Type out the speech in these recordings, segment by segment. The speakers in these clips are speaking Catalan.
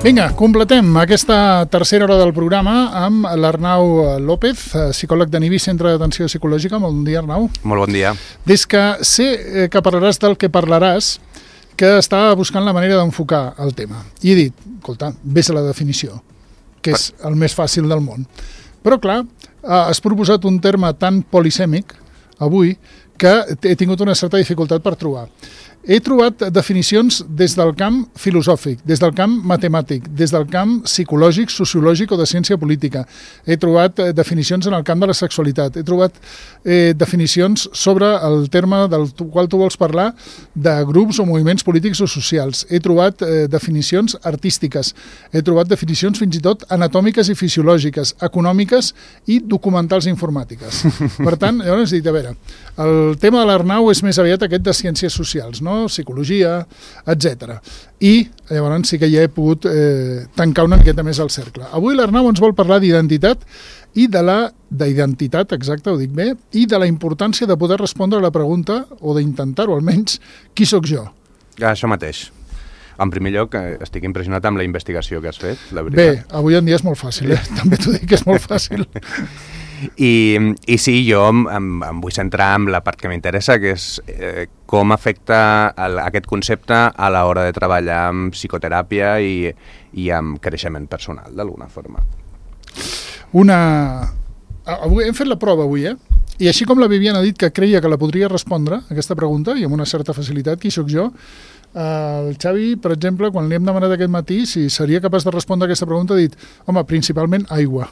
Vinga, completem aquesta tercera hora del programa amb l'Arnau López, psicòleg de Nivi, Centre d'Atenció Psicològica. Bon dia, Arnau. Molt bon dia. Des que sé que parlaràs del que parlaràs, que estava buscant la manera d'enfocar el tema. I he dit, escolta, ves a la definició, que és el més fàcil del món. Però, clar, has proposat un terme tan polisèmic avui que he tingut una certa dificultat per trobar. He trobat definicions des del camp filosòfic, des del camp matemàtic, des del camp psicològic, sociològic o de ciència política. He trobat definicions en el camp de la sexualitat. He trobat definicions sobre el terme del qual tu vols parlar de grups o moviments polítics o socials. He trobat definicions artístiques. He trobat definicions fins i tot anatòmiques i fisiològiques, econòmiques i documentals informàtiques. Per tant, llavors he dit, a veure, el tema de l'Arnau és més aviat aquest de ciències socials, no? Psicologia, etc. I llavors sí que ja he pogut tancar una miqueta més el cercle. Avui l'Arnau ens vol parlar d'identitat i d'identitat, exacte, ho dic bé, i de la importància de poder respondre a la pregunta, o d'intentar-ho almenys, qui sóc jo? Això mateix. En primer lloc, estic impressionat amb la investigació que has fet, la veritat. Bé, avui en dia és molt fàcil, també t'ho dic que és molt fàcil. I sí, jo em vull centrar en la part que m'interessa, que és com afecta aquest concepte a l'hora de treballar amb psicoteràpia i amb creixement personal, d'alguna forma. Avui hem fet la prova avui, I així com la Viviana ha dit que creia que la podria respondre, aquesta pregunta, i amb una certa facilitat, qui sóc jo, el Xavi, per exemple, quan li hem demanat aquest matí si seria capaç de respondre aquesta pregunta, ha dit, home, principalment aigua.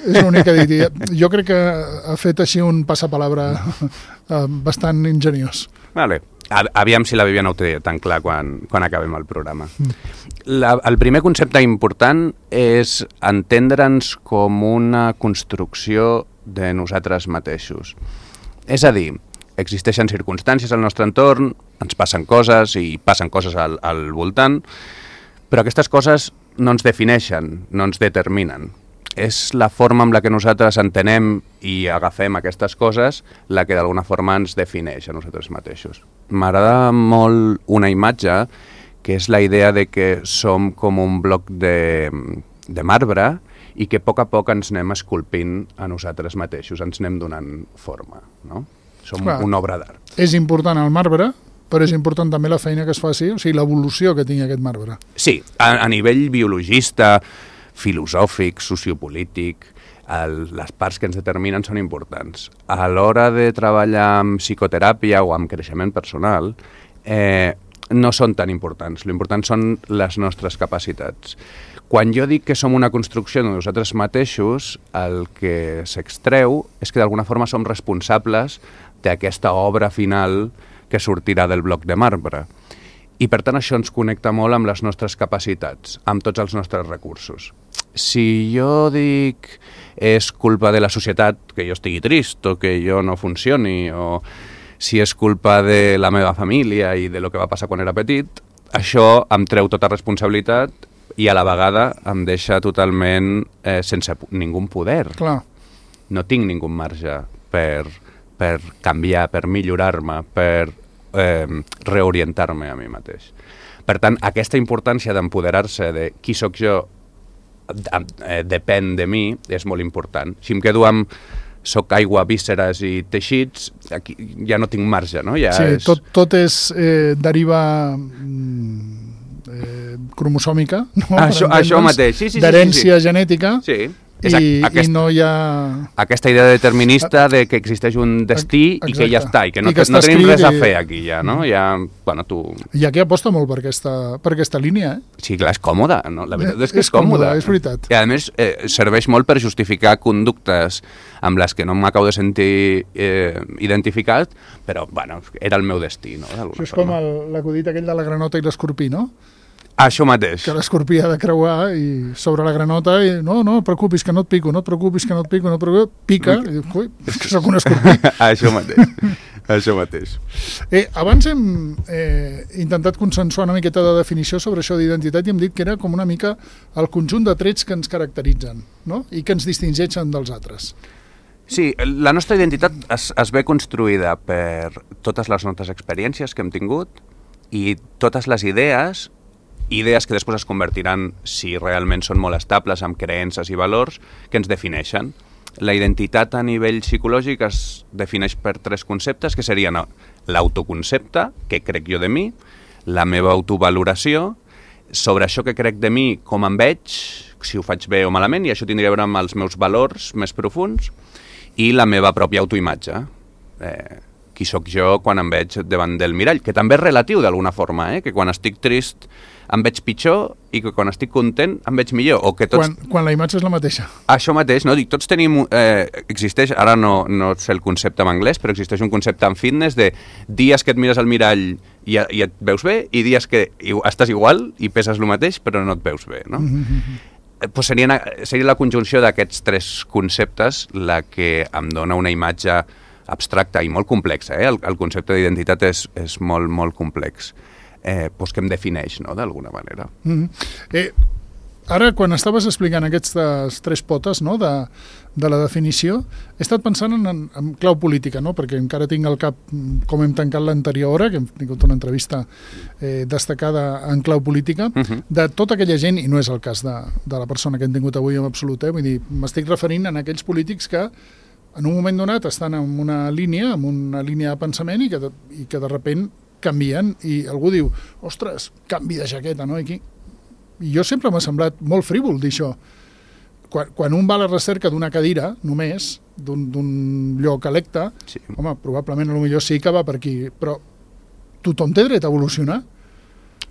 És l'únic que ha dit. Jo crec que ha fet així un passapalabra bastant ingeniós. Vale. Aviam si la Viviana ho té tan clar quan acabem el programa. El primer concepte important és entendre'ns com una construcció de nosaltres mateixos. És a dir, existeixen circumstàncies al nostre entorn, ens passen coses i passen coses al voltant, però aquestes coses no ens defineixen, no ens determinen. És la forma amb la que nosaltres entenem i agafem aquestes coses la que d'alguna forma ens defineix a nosaltres mateixos. M'agrada molt una imatge que és la idea de que som com un bloc de marbre i que a poc ens anem esculpint a nosaltres mateixos, ens anem donant forma, no? Som una obra d'art. És important el marbre, però és important també la feina que es faci, o sigui, l'evolució que tingui aquest marbre. Sí, a nivell biologista, filosòfic, sociopolític, les parts que ens determinen són importants. A l'hora de treballar amb psicoteràpia o amb creixement personal, no són tan importants. L'important són les nostres capacitats. Quan jo dic que som una construcció de nosaltres mateixos, el que s'extreu és que d'alguna forma som responsables d'aquesta obra final que sortirà del bloc de marbre. I per tant això ens connecta molt amb les nostres capacitats, amb tots els nostres recursos. Si jo dic és culpa de la societat que jo estigui trist o que jo no funcioni, o si és culpa de la meva família i de lo que va passar quan era petit, això em treu tota responsabilitat i a la vegada em deixa totalment sense ningú poder. Clar. No tinc ningú marge per canviar, per millorar-me, per reorientar-me a mi mateix. Per tant, aquesta importància d'empoderar-se de qui sóc jo depèn de mi és molt important. Si em quedo amb soc aigua, vísceres i teixits, aquí ja no tinc marge, no? Ja sí, tot és deriva cromosòmica, no? Això mateix, sí. D'herència genètica. Sí. I no hi ha... Aquesta idea determinista de que existeix un destí i que ja està, i que no tenim res a fer aquí ja, no? Ja, bueno, tu... Hi ha qui aposta molt per aquesta línia, Sí, clar, és còmode, no? La veritat és que és còmode. És veritat. I a més serveix molt per justificar conductes amb les que no m'acabo de sentir identificat, però, bueno, era el meu destí, no? Això és com l'acudit aquell de la granota i l'escorpí, no? Això mateix. Que l'escorpí ha de creuar i sobre la granota i no et preocupis que no et pico, no et preocupis que no et pico, no et preocupis, pica i dius, ui, és que sóc un escorpí. Això mateix. Abans hem intentat consensuar una miqueta de definició sobre això d'identitat i hem dit que era com una mica el conjunt de trets que ens caracteritzen, no? I que ens distingeixen dels altres. Sí, la nostra identitat es ve construïda per totes les nostres experiències que hem tingut i totes les idees idees que després es convertiran, si realment són molt estables, en creences i valors que ens defineixen. La identitat a nivell psicològic es defineix per 3 conceptes, que serien l'autoconcepte, què crec jo de mi, la meva autovaloració, sobre això que crec de mi, com em veig, si ho faig bé o malament, i això tindria a veure amb els meus valors més profunds, i la meva pròpia autoimatge. Qui sóc jo quan em veig davant del mirall, que també és relatiu d'alguna forma, que quan estic trist em veig pitjor i que quan estic content em veig millor. O que tots... quan la imatge és la mateixa. Això mateix, no? Dic, tots tenim... existeix, ara no sé el concepte en anglès, però existeix un concepte en fitness de dies que et mires al mirall i et veus bé i dies que estàs igual i peses el mateix però no et veus bé, no? Pues seria la conjunció d'aquests 3 conceptes la que em dona una imatge abstracta i molt complexa. El concepte d'identitat és molt, molt complex. Pues que em defineix, no?, d'alguna manera. Ara, quan estaves explicant aquestes 3 potes, no?, de la definició, he estat pensant en clau política, no?, perquè encara tinc al cap com hem tancat l'anterior hora, que hem tingut una entrevista destacada en clau política, de tota aquella gent, i no és el cas de la persona que hem tingut avui en absolut, vull dir, m'estic referint a aquells polítics que en un moment donat estan en una línia de pensament i que de repent canvien i algú diu, ostres, canvi de jaqueta, no? I jo sempre m'ha semblat molt frívol dir això. Quan un va a la recerca d'una cadira, només, d'un lloc electe, sí. Home, probablement potser sí que va per aquí, però tothom té dret a evolucionar.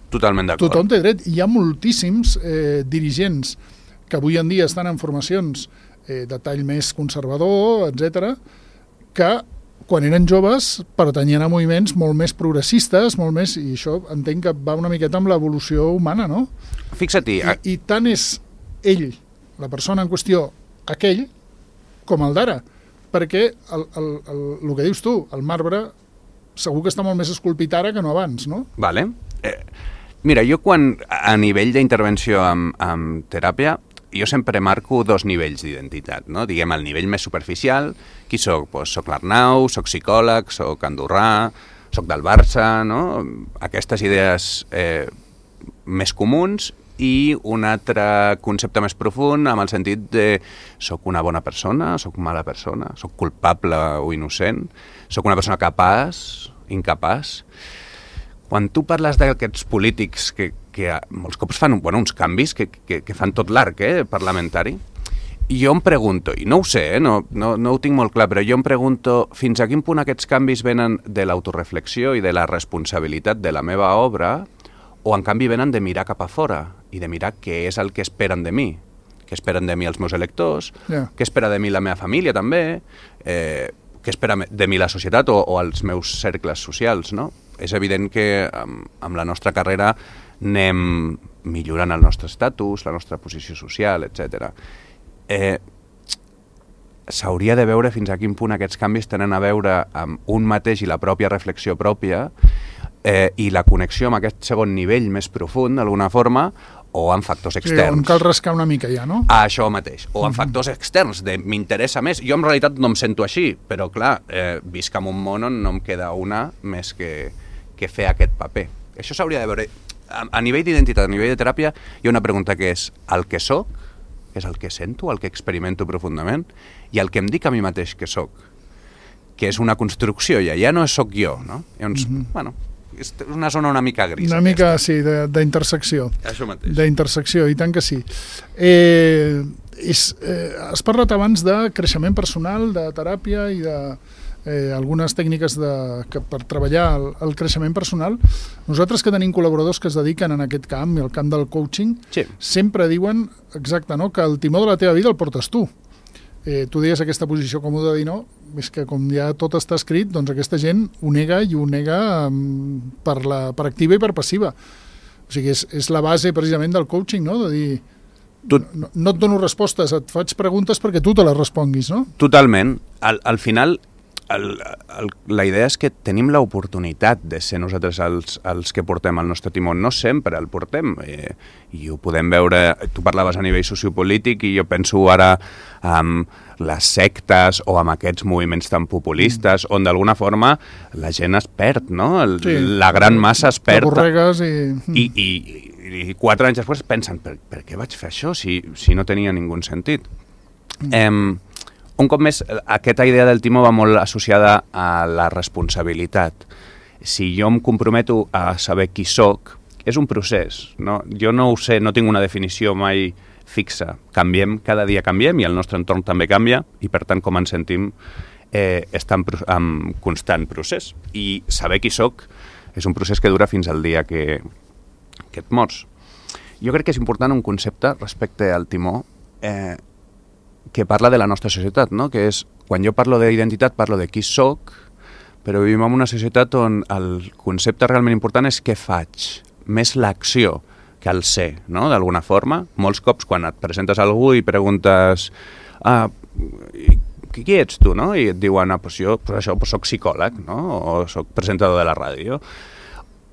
Totalment d'acord. Tothom té dret. Hi ha moltíssims dirigents que avui en dia estan en formacions de tall més conservador, etc., que quan eren joves pertanyien a moviments molt més progressistes, molt més, i això entenc que va una miqueta amb l'evolució humana, no? Fixa-t'hi. I tant és ell, la persona en qüestió, aquell, com el d'ara, perquè el que dius tu, el marbre, segur que està molt més esculpit ara que no abans, no? Vale. Mira, jo a nivell d'intervenció amb teràpia, jo sempre marco 2 nivells d'identitat, no? Diguem, el nivell més superficial, qui soc? Pues soc l'Arnau, soc psicòleg, soc andorrà, soc del Barça, no? Aquestes idees més comuns, i un altre concepte més profund amb el sentit de soc una bona persona, soc mala persona, soc culpable o innocent, soc una persona capaç, incapaç. Quan tu parles d'aquests polítics que molts cops fan uns canvis que fan tot l'arc parlamentari, jo em pregunto, i no ho sé, no ho tinc molt clar, però jo em pregunto fins a quin punt aquests canvis venen de l'autoreflexió i de la responsabilitat de la meva obra, o en canvi venen de mirar cap a fora i de mirar què és el que esperen de mi, què esperen de mi els meus electors, què espera de mi la meva família també, què espera de mi la societat o els meus cercles socials, no? És evident que amb la nostra carrera anem millorant el nostre estatus, la nostra posició social, etc. S'hauria de veure fins a quin punt aquests canvis tenen a veure amb un mateix i la pròpia reflexió pròpia i la connexió amb aquest segon nivell més profund, d'alguna forma, o amb factors externs. Sí, on cal rascar una mica ja, no? Això mateix. O amb factors externs, de m'interessa més. Jo en realitat no em sento així, però clar, visc en un món on no em queda una més que fer aquest paper. Això s'hauria de veure. A nivell d'identitat, a nivell de teràpia, hi ha una pregunta que és el que soc, que és el que sento, el que experimento profundament, i el que em dic a mi mateix que soc, que és una construcció, ja no soc jo, no? Llavors, bueno, és una zona una mica grisa. Una mica, sí, d'intersecció. Això mateix. D'intersecció, i tant que sí. Has parlat abans de creixement personal, de teràpia i de algunes tècniques per treballar el creixement personal. Nosaltres que tenim col·laboradors que es dediquen en aquest camp, el camp del coaching, sí. Sempre diuen, exacte, no?, que el timó de la teva vida el portes tu. Tu deies aquesta posició còmoda de dir no, és que com ja tot està escrit, doncs aquesta gent ho nega i ho nega per activa i per passiva. O sigui, és la base precisament del coaching, no?, de dir no et dono respostes, et faig preguntes perquè tu te les responguis, no? Totalment. Al final, la idea és que tenim l'oportunitat de ser nosaltres els que portem el nostre timó. No sempre el portem, i ho podem veure. Tu parlaves a nivell sociopolític i jo penso ara amb les sectes o amb aquests moviments tan populistes on d'alguna forma la gent es perd, no? La gran massa es perd. T'avorregues I 4 anys després pensen, per què vaig fer això si no tenia ningú sentit? Un cop més, aquesta idea del timó va molt associada a la responsabilitat. Si jo em comprometo a saber qui sóc, és un procés, no? Jo no ho sé, no tinc una definició mai fixa. Cada dia canviem i el nostre entorn també canvia i per tant com ens sentim està en constant procés. I saber qui sóc és un procés que dura fins al dia que et mors. Jo crec que és important un concepte respecte al timó que parla de la nostra societat, no? Que és, quan jo parlo d'identitat, parlo de qui sóc, però vivim en una societat on el concepte realment important és què faig, més l'acció que el ser, no? D'alguna forma. Molts cops quan et presentes a algú i preguntes qui ets tu, no? I et diuen, jo soc psicòleg, no? O soc presentador de la ràdio.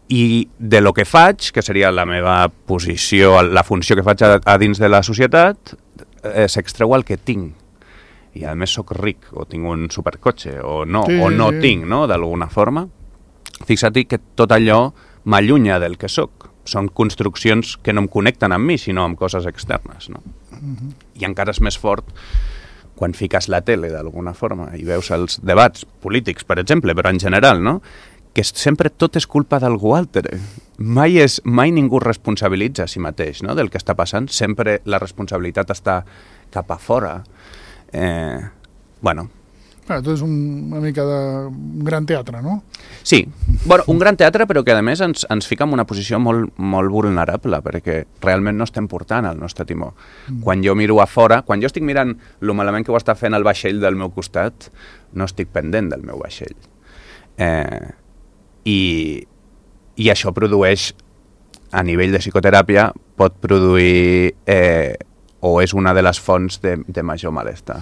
I de lo que faig, que seria la meva posició, la funció que faig a dins de la societat, s'extreu el que tinc. I a més soc ric, o tinc un supercotxe, o no tinc, no? D'alguna forma. Fixa't que tot allò m'allunya del que sóc. Són construccions que no em connecten amb mi, sinó amb coses externes, no? I encara és més fort quan fiques la tele, d'alguna forma, i veus els debats polítics, per exemple, però en general, no? Que sempre tot és culpa d'algú altre. Mai ningú responsabilitza a si mateix, no? Del que està passant. Sempre la responsabilitat està cap a fora. Tot és una mica de gran teatre, no? Sí, un gran teatre, però que a més ens fica en una posició molt, molt vulnerable, perquè realment no estem portant el nostre timó. Quan jo miro a fora, quan jo estic mirant lo malament que ho està fent el vaixell del meu costat, no estic pendent del meu vaixell. I això produeix, a nivell de psicoteràpia, pot produir o és una de les fonts de major malestar.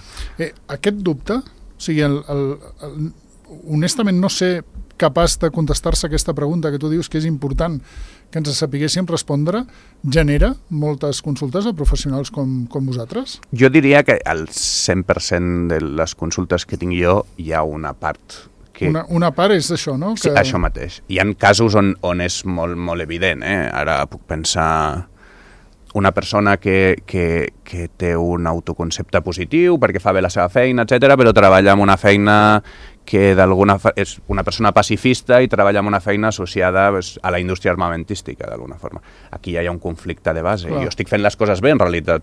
Aquest dubte, o sigui, honestament no sé capaç de contestar-se aquesta pregunta que tu dius que és important que ens sapiguéssim respondre, genera moltes consultes a professionals com vosaltres? Jo diria que al 100% de les consultes que tinc jo hi ha una part Una part és això, no? Sí, això mateix. Hi ha casos on és molt, molt evident. Ara puc pensar una persona que té un autoconcepte positiu perquè fa bé la seva feina, etc., però treballa en una feina que és una persona pacifista i treballa en una feina associada a la indústria armamentística, d'alguna forma. Aquí ja hi ha un conflicte de base. Jo estic fent les coses bé, en realitat,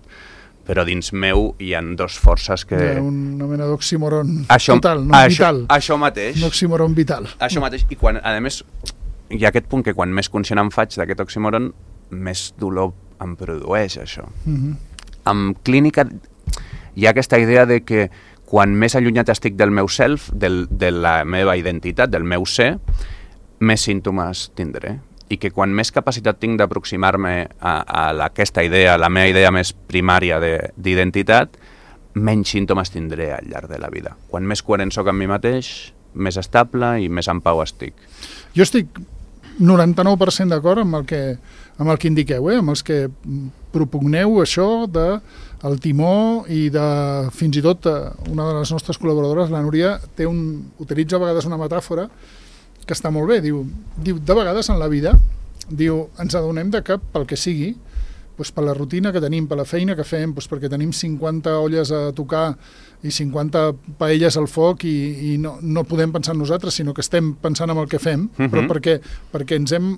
però dins meu hi ha dues forces que... Una mena d'oxímoron total, no? Vital. Això mateix. Un oxímoron vital. Això mateix. I quan, a més, hi ha aquest punt que quan més conscient em faig d'aquest oxímoron, més dolor em produeix això. En clínica hi ha aquesta idea de que quan més allunyat estic del meu self, de la meva identitat, del meu ser, més símptomes tindré. I que quan més capacitat tinc d'aproximar-me a aquesta idea, la meva idea més primària d'identitat, menys símptomes tindré al llarg de la vida. Quan més coherent soc amb mi mateix, més estable i més en pau estic. Jo estic 99% d'acord amb el que indiqueu, amb els que propugneu això del timó i de, fins i tot, una de les nostres col·laboradores, la Núria, utilitza a vegades una metàfora que està molt bé, diu de vegades en la vida, ens adonem de que pel que sigui, per la rutina que tenim, per la feina que fem, perquè tenim 50 olles a tocar i 50 paelles al foc i no podem pensar en nosaltres, sinó que estem pensant en el que fem, però perquè ens hem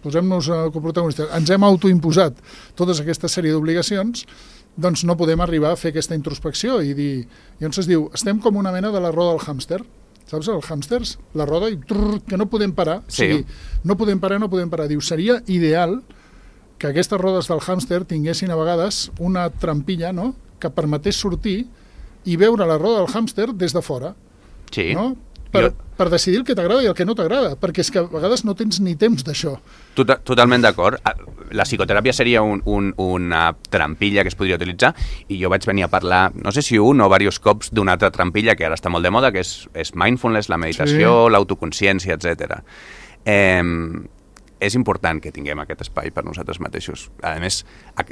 posem-nos coprotagonistes, ens hem autoimposat tota aquesta sèrie d'obligacions, doncs no podem arribar a fer aquesta introspecció i dir, llavors es diu, estem com una mena de la roda del hàmster, saps, els hàmsters, la roda i que no podem parar, sí. O sigui, no podem parar, diu, seria ideal que aquestes rodes del hàmster tinguessin a vegades una trampilla, no?, que permetés sortir i veure la roda del hàmster des de fora, sí. No? per decidir el que t'agrada i el que no t'agrada, perquè és que a vegades no tens ni temps d'això. Totalment d'acord. La psicoteràpia seria una trampilla que es podria utilitzar i jo vaig venir a parlar, no sé si un o diversos cops, d'una altra trampilla que ara està molt de moda, que és mindfulness, la meditació, l'autoconsciència, etc. És important que tinguem aquest espai per nosaltres mateixos. A més,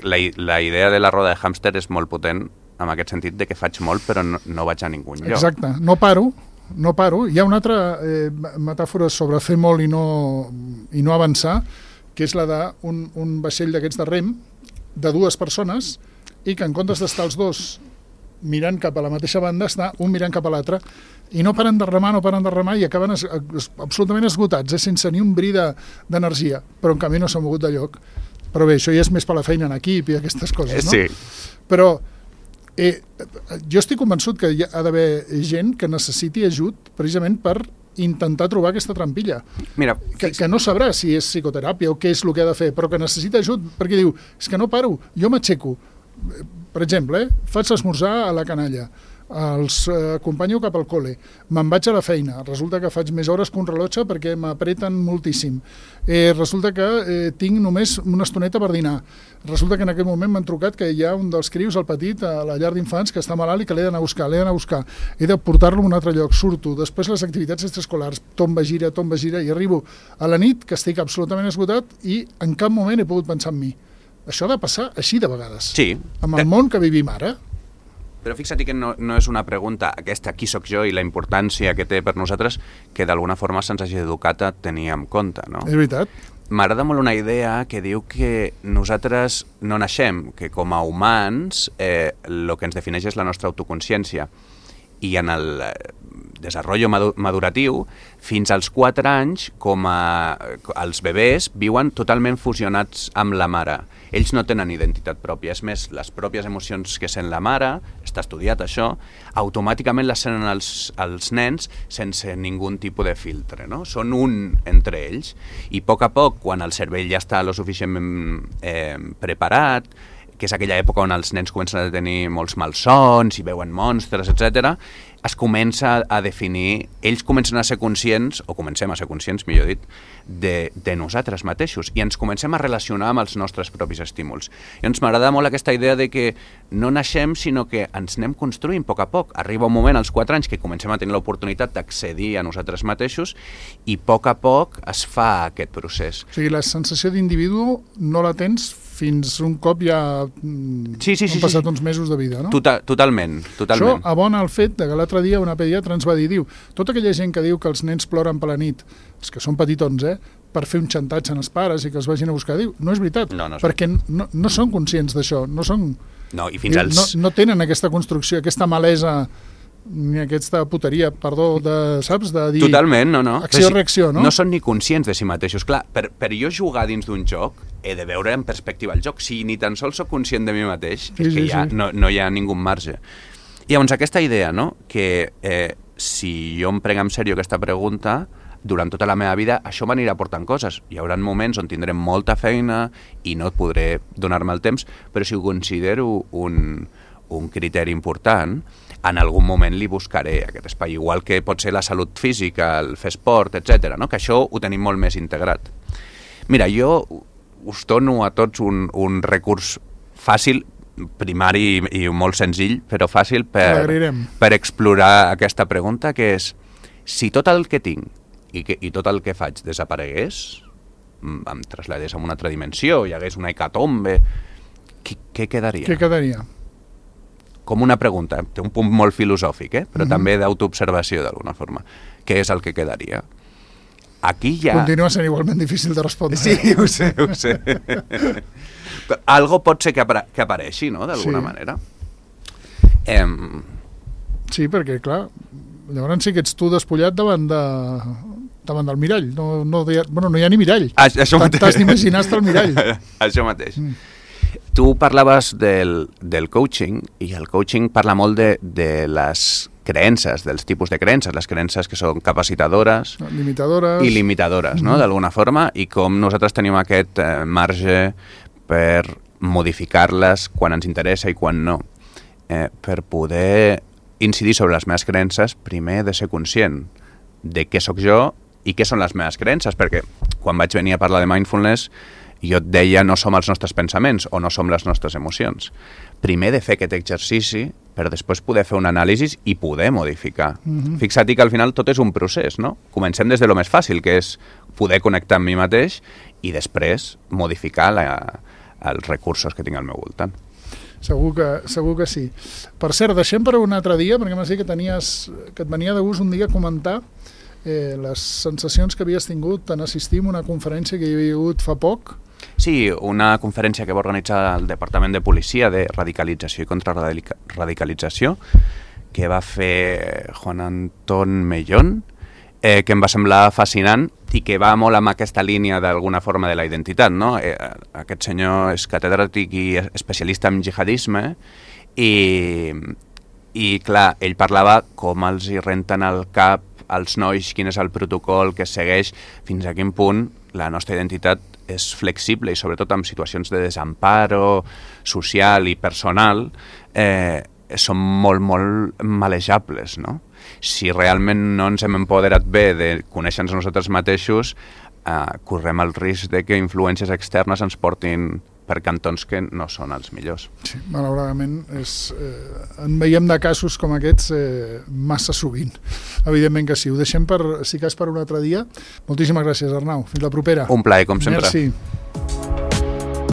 la idea de la roda de hàmster és molt potent en aquest sentit de que faig molt però no vaig a ningun lloc. Exacte, no paro. Hi ha una altra metàfora sobre fer molt i no avançar, que és la d'un vaixell d'aquests de rem de dues persones i que en comptes d'estar els dos mirant cap a la mateixa banda, està un mirant cap a l'altre i no paren de remar i acaben absolutament esgotats, sense ni un bri d'energia, però en canvi no s'ha mogut de lloc. Però bé, això ja és més per la feina en equip i aquestes coses, no? Sí. Però jo estic convençut que hi ha d'haver gent que necessiti ajut precisament per intentar trobar aquesta trampilla. Mira, que no sabrà si és psicoteràpia o què és el que ha de fer, però que necessita ajut perquè diu, és que no paro, jo m'aixeco. Per exemple, faig l'esmorzar a la canalla, els acompanyo cap al col·le, me'n vaig a la feina, resulta que faig més hores que un rellotge perquè m'apreten moltíssim, resulta que tinc només una estoneta per dinar, resulta que en aquest moment m'han trucat que hi ha un dels crios, el petit, a la llar d'infants, que està malalt i que l'he d'anar a buscar, he de portar-lo a un altre lloc, surto, després les activitats extraescolars, tomba, gira, i arribo a la nit que estic absolutament esgotat i en cap moment he pogut pensar en mi. Això ha de passar així de vegades. Sí. Amb el món que vivim ara. Però fixa't que no és una pregunta, aquesta qui sóc jo i la importància que té per nosaltres, que d'alguna forma se'ns hagi educat a tenir en compte, no? És veritat. M'agrada molt una idea que diu que nosaltres no naixem, que com a humans el que ens defineix és la nostra autoconsciència. I en el desenvolupament maduratiu, fins als 4 anys, els bebès viuen totalment fusionats amb la mare. Ells no tenen identitat pròpia, és més, les pròpies emocions que sent la mare, està estudiat això, automàticament les senten els nens sense ningú tipus de filtre, no? Són un entre ells, i a poc, quan el cervell ja està lo suficientment preparat, que és aquella època on els nens comencen a tenir molts malsons i veuen monstres, etc., es comença a definir, ells comencen a ser conscients, o comencem a ser conscients, millor dit, de nosaltres mateixos, i ens comencem a relacionar amb els nostres propis estímuls. I ens m'agrada molt aquesta idea de que no naixem, sinó que ens anem construint a poc. Arriba un moment, als 4 anys, que comencem a tenir l'oportunitat d'accedir a nosaltres mateixos, i a poc es fa aquest procés. O sigui, la sensació d'individu no la tens fins un cop ja han passat uns mesos de vida, no? Totalment. Això abona el fet que l'altre dia una pediatra ens va dir, tota aquella gent que diu que els nens ploren per la nit, els que són petitons, per fer un xantatge en els pares i que els vagin a buscar, diu, no és veritat, perquè no són conscients d'això, no tenen aquesta construcció, aquesta malesa, ni aquesta puteria, saps? De dir totalment, acció-reacció, no? No són ni conscients de si mateixos. Clar, per jo jugar dins d'un joc, he de veure en perspectiva el joc. Si ni tan sols soc conscient de mi mateix, és que ja no hi ha ningú marge. I llavors aquesta idea, no?, que si jo em prenc en sèrio aquesta pregunta, durant tota la meva vida això m'anirà portant coses. Hi haurà moments on tindré molta feina i no podré donar-me el temps, però si ho considero un criteri important, en algun moment li buscaré aquest espai, igual que pot ser la salut física, el fer esport, etc., no? Que això ho tenim molt més integrat. Mira, jo us dono a tots un recurs fàcil, primari i molt senzill, però fàcil per explorar aquesta pregunta, que és, si tot el que tinc i tot el que faig desaparegués, em traslladés a una altra dimensió, hi hagués una hecatombe, què quedaria? Què quedaria? Com una pregunta, té un punt molt filosòfic, però també d'autoobservació d'alguna forma. Què és el que quedaria? Aquí ja... Continua sent igualment difícil de respondre. Sí, ho sé. Algo pot ser que apareixi, no?, d'alguna manera. Sí, perquè, clar, llavors sí que ets tu despullat davant del mirall. No hi ha ni mirall. T'has d'imaginar estar al mirall. Això mateix. Tu parlaves del coaching, i el coaching parla molt de les creences, dels tipus de creences, les creences que són capacitadores i limitadores, no?, d'alguna forma, i com nosaltres tenim aquest marge per modificar-les quan ens interessa i quan no. Per poder incidir sobre les meves creences, primer he de ser conscient de què sóc jo i què són les meves creences, perquè quan vaig venir a parlar de mindfulness jo et deia no som els nostres pensaments o no som les nostres emocions. Primer de fer aquest exercici per després poder fer un anàlisi i poder modificar. Fixa't que al final tot és un procés, no? Comencem des de lo més fàcil, que és poder connectar amb mi mateix i després modificar els recursos que tinc al meu voltant. Segur que sí. Per cert, deixem per un altre dia, perquè m'has dit que et venia de gust un dia comentar les sensacions que havies tingut en assistir a una conferència que hi havia hagut fa poc. Sí, una conferència que va organitzar el Departament de Policia de Radicalització i Contrarradicalització, que va fer Juan Antón Mellón, que em va semblar fascinant i que va molt amb aquesta línia d'alguna forma de la identitat, no? Aquest senyor és catedràtic i especialista en jihadisme i clar, ell parlava com els hi renten al cap als nois, quin és el protocol que es segueix, fins a quin punt la nostra identitat és flexible i sobretot en situacions de desamparo social i personal són molt, molt malejables, no? Si realment no ens hem empoderat bé de conèixer-nos nosaltres mateixos, correm el risc de que influències externes ens portin per cantons que no són els millors. Sí, malauradament en veiem de casos com aquests massa sovint. Evidentment que sí. Ho deixem si cas per un altre dia. Moltíssimes gràcies, Arnau. Fins la propera. Un plaer, com sempre. Merci.